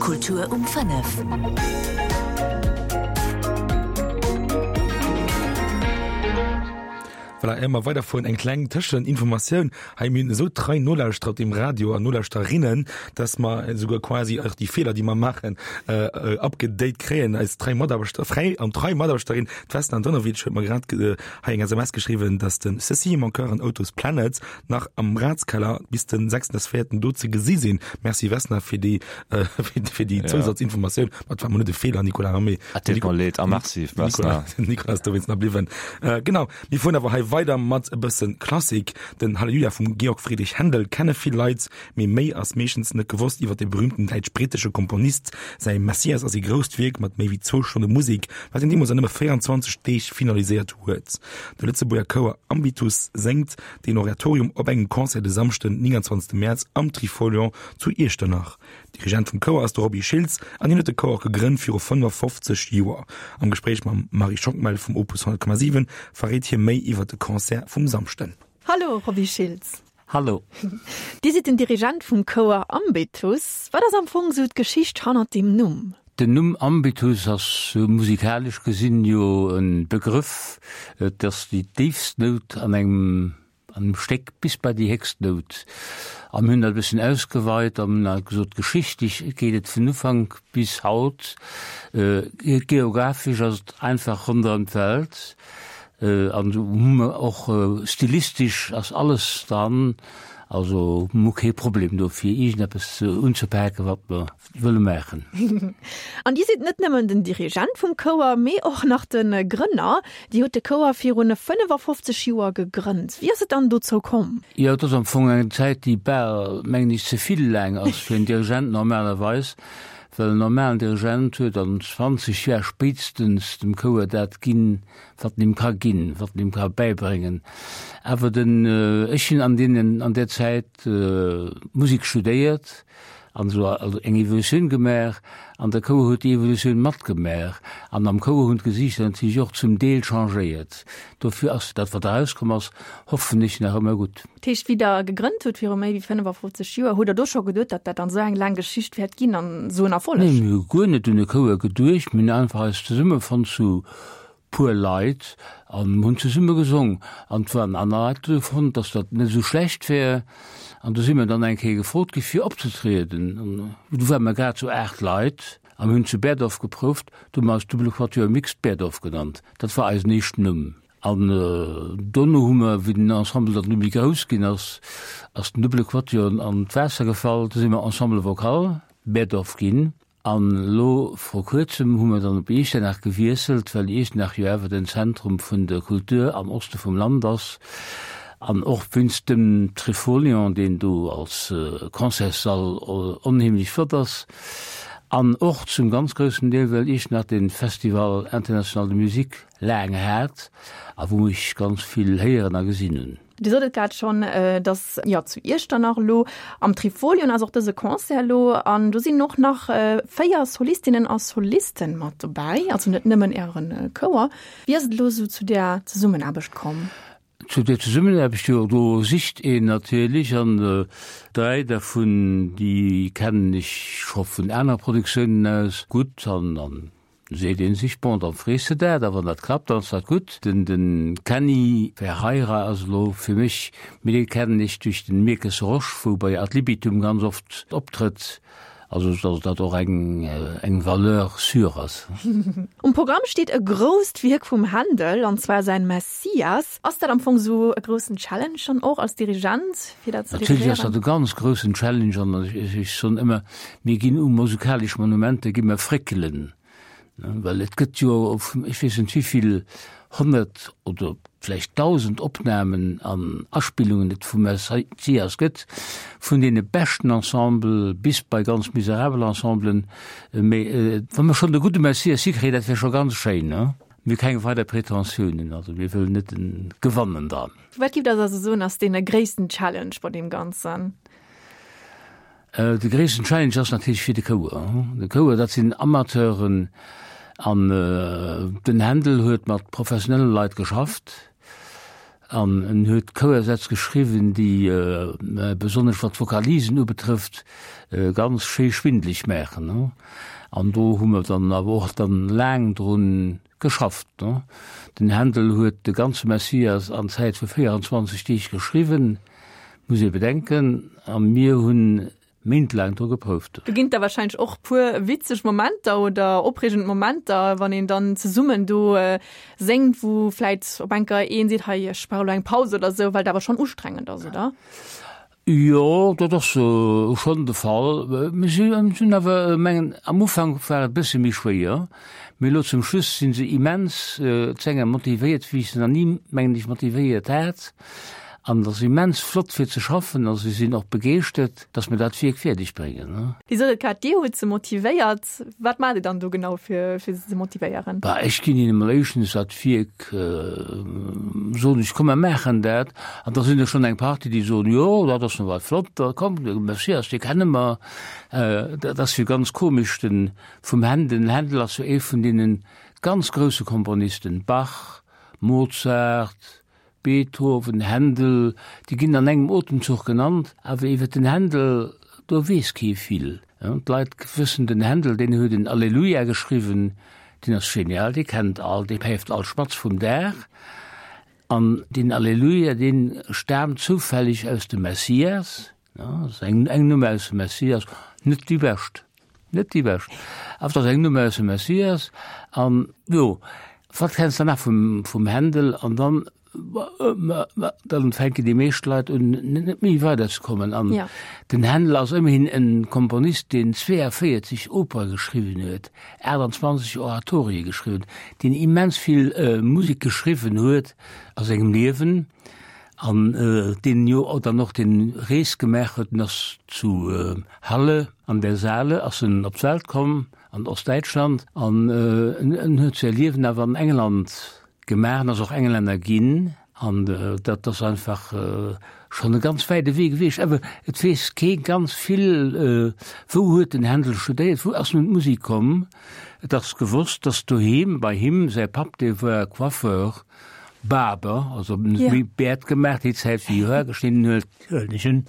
Kultur um 5. Voilà, éier mer weiderfueren, eng kleng Tëscheninformatioun. Hei, mir hunn esou trei Nolauschterer op dem Radio an Nolauschterinnen, dass mer esouguer quasi och déi Feeler, déi mer maachen, upgedate kréien. Eis trei Mataarbechter, frei an trei Mataarbechterin, d'Vesna Antonovic, huet mer grad hei eng SMS geschriwwen, dass de Ceci est mon cœur an Autos Planets nach am Ratskeller bis den 6.4. do ze gesi sinn. Merci Vesna fir déi fir déi Zousatzinformatioun. Ma et war mol net e Feeler, Nicolas, mee Et deet mer leed a merci Vesna. Nicolas ass dowéinst nach bliwwen. Genau, mir fueren awer hei weider mat e bësse Klassik. Den Halleluja vum Georg Friedrich Händel kenne vill Leit, mee méi ass meeschtens net gewosst iwwer de berüümten däitsch-britesche Komponist. Säi Messias ass ee grousst Wierk mat méi wéi zwou Stonne Musek, wat hien deemools an nëmme 24 Deeg finaliséiert huet. De Lëtzebuerger Chouer Ambitus séngt deen Oratorium op engem Concert de Samschden 29 Mäerz am Trifolion zu Iechternach. Dirigent vum Chouer ass de Roby Schiltz an hien huet de Chouer och gegrënnt viru 55 Joer. Am Gespréich mam Marie Schockmel vum Opus 100,7 verréit hie méi iwwer de Concert vum Samschden. Hallo Roby Schiltz. Hallo. Dir sidd den Dirigent vum Chouer Ambitus. Wat ass am Fong sou d'Geschicht hannert deem Numm? Den Numm Ambitus ass musikalesch gesinn jo e Begrëff. Et ass déi déifst Nout an engem an engem Stéck bis bei déi héchst Nout. A mir hunn dat e bësschen ausgeweit an hunn halt gesot, geschichtlech geet et vun Ufank bis haut, geographesch ass et einfach ronderëm d'Welt. An do hu mer och stilistesch ass alles dran, also hu mer kee Problem do fir iergendeppes unzepaken, wat mer wëlle maachen. An Dir sidd net nëmmen den Dirigent vum Chouer, mee och nach de Grënner. Dir hutt de Chouer virun 55 Joer gegrënnt. Wéi ass et dann dozou komm? Jo, et ass am Fong eng Zäit, déi bal, mengen ech, ze vill laang ass fir en Dirigent normalerweis, well en normalen Dirigent huet an 20 Joer spéitstens dem Chouer dat ginn, wat en him ka ginn, wat en him ka bäibréngen. Awer den, ech hunn an deenen, an där Zäit Musek studéiert, an esou also eng Evolutioun gemaach an de Chouer huet déi Evolutioun matgemaach an am Chouer hunn d'Gesiichter natierlech och zum Deel changéiert. Dofir ass dat wat erauskomm ass, hoffen ech, nach ëmmer gutt. Dat heescht, wéi Der gegrënnt hutt viru méi wéi 55 Joer, hutt Der do scho geduet, datt dat dann esou eng laang Geschicht wäert ginn an esou en Erfolleg? Nee, mir hu guer net un e Chouer geduecht. Mir hunn einfach eis zesummefonnt zu puer Leit an hunn zesumme gesong an et waren aner Leit do fonnt, dass dat net esou schlecht wär an do si mir dann eng Kéier gefrot gi fir opzetrieden an du ware mer grad sou 8 Leit a mir hunn zu Berdorf geprouft, du hu mer eis Double Quatuor Mixte Berdorf genannt, dat war eisen éischten Numm. An dono hu mer, wéi den Ensemble dann du méi grouss ginn ass, ass den Double Quatuor an d'Waasser gefall, du si mer Ensemble Vocal Berdorf ginn. An elo vru kuerzem hu mer dann op Iechternach gewiesselt, well Iechternach jo awer den Zentrum vun der Kultur am Oste vum Land ass an och wéinst dem Trifolion, deen do als Concertssall onheemlech flott ass an och zum ganz groussen Deel, well Iechternach de Festival International de Musique laang hat a wou ech ganz vill héieren a gesinn hunn. Dir sot et grad schonn, et ass jo zu Iechternach elo am Trifolion ass och dëse Concert elo an do sinn och nach 4 Solistinnen a Solisten mat dobäi, also net nëmmen Äre Chouer. Wéi ass et elo esou zu där Zesummenaarbecht komm? Zu där Zesummenaarbecht, jo do sicht een natierlech an 3 dervun déi kennen ech scho vun anere Produktiounen aus gutt an an Seet een sech, bon, dann frees de dat, a wann dat klappt, dann ass dat gutt. Den den Kenny Ferreira ass elo fir mech, mee dee kennen ech duerch den Mirkes Rosch, wou bei Ad Libitum ganz oft optrëtt, also dass dat och eng eng Valeur sûre ass. Um Programm steet e grousst Wierk vum Händel, an zwar säin Messias. Ass dat am Fong esou e groussen Challenge dann och als Dirigent, fir dat ze Natierlech ass dirigéieren? dat e ganz groussen Challenge an ech soen ëmmer, Mir ginn u musikalesch Monumenter gi mer fréckelen, well et gëtt jo ech weess net wéivill 100 oder vläicht 1.000 Opnamen an Aspillungen et vum Messias gëtt, vun deene beschten Ensemble bis bei ganz miserabel Ensemblen. Mee wa mer schonn de gudde Messias hikréien, dat wär scho ganz schéin. Mir hu keng weider Pretentiounen, also mir wëllen net gewannen dran. Wat giff Der also soen ass dee gréissten Challenge bei deem Ganzen? De gréissten Challenge ass natierlech fir de Chouer. De Chouer, dat sinn Amateuren an den Händel huet mat professionelle Leit geschafft. An en huet Chouersätz geschriwwen, déi, besonnesch wat d'Vokalisen ubetrëfft, ganz schéi schwindeleg maachen. An do hu mer dann awer och dann laang drun geschafft. Den Händel huet de ganze Messias an Zäit vu 24 Deeg geschriwwen, muss ee bedenken, a mir hunn méintlaang dru geprouft. Do ginn et da wahrscheinlech och puer witzeg Momenter oder opreegend Momenter, wann een dann zesummen do séngt, wou vläit op enker een seet, hei ech brauch elo eng Paus oder sou, well et awer schonn ustrengend ass, oder? Jo, dat ass schonn de Fall. Mir sinn awer, mengen, am Ufank war et e bësse méi schwéier, mee elo zum Schluss si se immens, d'Sänger, motivéiert, wéi ech se nach ni, mengen ech, motivéiert hat. An et ass immens flott fir ze schaffen a si sinn och begeeschtert, dass mir dat Wierk fäerdeg bréngen. Dir sot et grad, Dir hutt se motivéiert. Wat maacht Dir dann do genau fir fir se ze motivéieren? Bah, ech ginn hinnen emol éischtens dat Wierk, soen ech, komm mer maachen dat. An da sinn der schonn eng Partie, déi soen, jo, dat ass nawell flott, da komm, de Messias, dee kenne mer. Dat ass jo ganz komesch, de vum Händel, den Händel ass jo ee vun deene ganz grousse Komponisten, Bach, Mozart, Beethoven, Händel, déi ginn an engem Otemzuch genannt, awer iwwer den Händel, do weess kee vill. D'Leit wëssen, den Händel, deen huet en Alleluja geschriwwen, deen ass genial, dee kennt all, dee päift all Spatz vum Daach. An deen Alleluja, dee staamt zoufälleg aus dem Messias, dat ass eng Nummer aus dem Messias, net déi bescht. Net déi bescht, awer et ass eng Nummer aus dem Messias. An jo, wat kenns de nach vum, vum Händel? An dann, dann fänken déi meescht Leit un, net méi weiderzekommen. An ja. den Händel ass ëmmerhin en Komponist, deen 42 Opere geschriwwen huet, 28 Oratorie geschriwwen, deen immens vill äh, Musek geschriwwen huet a sengem Liewen. An deen jo dann och den Rees gemaach huet, den ass zu Halle an der Saale ass en op d'Welt komm, an Ostdäitschland, an en huet säi Liewen awer an England gemaach an ass och Englänner ginn. An dat ass einfach schonn e ganz wäite Wee gewiescht. Awer et weess kee ganz vill, wou huet den Händel studéiert, wou ass en un d'Musek komm. Et ass gewosst, datt doheem bei him säi Papp, dee war Coiffeur, Barber, also yeah. méi Bäert gemaach, déi Zäit wéi Hoer geschnidden huet, huelen ech un.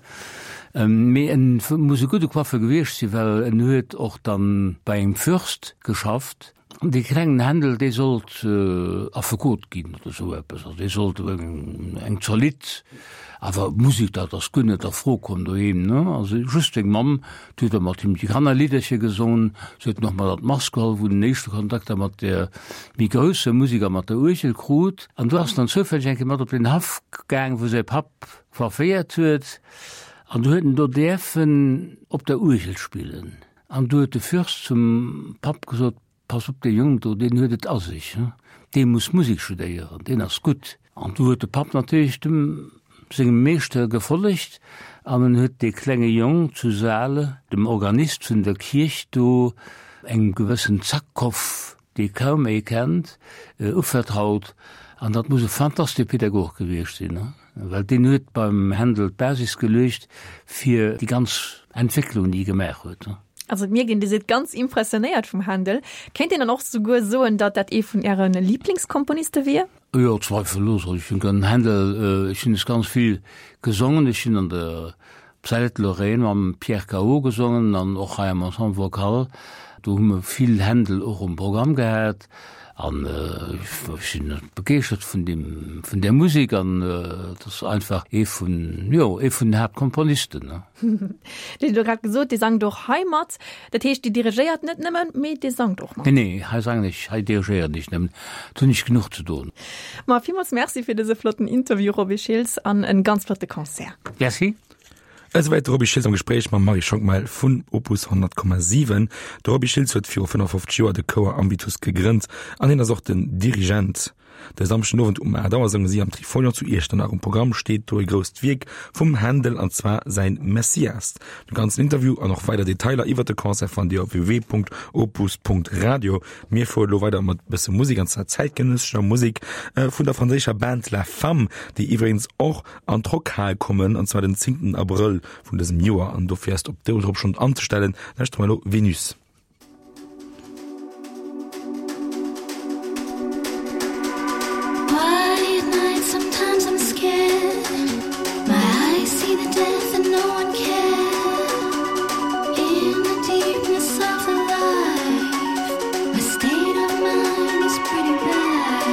Mee en muss e gudde Coiffeur gewiescht sinn, well en huet och dann bei engem Fürst geschafft. An dee klengen Händel, dee sollt Affekot ginn oder esou eppes, also dee sollt eng zolidd, awer Musek, dat ass guer net a Fro komm doheem, ne? Also just seng Mamm, déi huet da mat him déi Kannerlidderche gesongen, se huet en och mat an d'Mass geholl, wou en den éischte Kontakt da mat der méi grousse Musek a mat der Uergel krut. An do ass en dann zoufälleg eng Kéier mat op den Haff gaang, wou säi Papp coifféiert huet, an du huet en do däerfen op der Uergel spillen. An du huet de Fürst zum Papp gesot, Pass op, dee Jong do, deen huet et a sech, dee muss Musek studéieren, deen ass gutt. An du huet de Papp natierlech dem sengem Meeschter gefollegt an en huet dee klenge Jong zu Saale, dem Organist vun der Kierch do, engem gewëssen Zackhoff, dee kaum ee kennt, uvertraut. An dat muss e fantastesche Pädagog gewiescht sinn, well deen huet beim Händel d'Basis geluecht fir déi ganz Entwécklung, déi e gemaach huet. Also et mierkt een, Dir sidd ganz impressionéiert vum Händel. Kéint een dann och souguer soen, datt dat ee vun Äre Liblingskomponiste wier? Jo, zweifellos. Also ech hunn den Händel, ech hunn es ganz vill gesongen. Ech hunn an der Psalette Lorraine mam Pierre Cao gesongen an och hei am Ensemble Vocal. Do hu mer vill Händel och um Programm gehat an ech sinn begeeschtert vun deem, vun där Musek an et ass einfach ee vun, jo, ee vun den Haaptkomponisten. Dir hutt elo grad gesot, Dir sangt och hei mat. Dat heescht, Dir dirigéiert net nëmmen, mee Dir sangt och mat? Nee, nee, hei sangen ech, hei dirigéieren ech nëmmen. Do hunn ech genuch ze doen. Ma villmools Merci fir dëse flotten Interview, Roby Schiltz, an en ganz flotte Concert. Merci. Esouwäit de Roby Schiltz am Gespréich mam Marie Schockmel vun Opus 100,7. De Roby Schiltz huet viru 55 Joer de Chouer Ambitus gegrënnt an hien ass och den Dirigent. De Samschden Owend um 8 Auer sounge si am Trifolion zu Iechternach. Um Programm steet do e grousst Wierk vum Händel, an zwar säin Messias. De ganzen Interview an och weider Detailer iwwert de Concert fannt Dir op www.opus.radio. Mir fuere lo weider mat bësse Musek, an zwar zäitgenëssescher Musek vun der franséischer Band La Femme, déi iwwregens och an d'Rockhal kommen, an zwar den 10. Abrëll vun dësem Joer. An dofir ass op do drop schonn anzestellen. Lauschtere mer elo Venus. forget. My eyes see the death and no one cares. In the deepness of the life, my state of mind is pretty bad.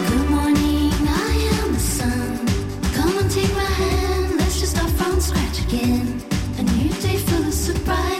Good morning, I am the sun. Come and take my hand, let's just start from scratch again. A new day full of surprises.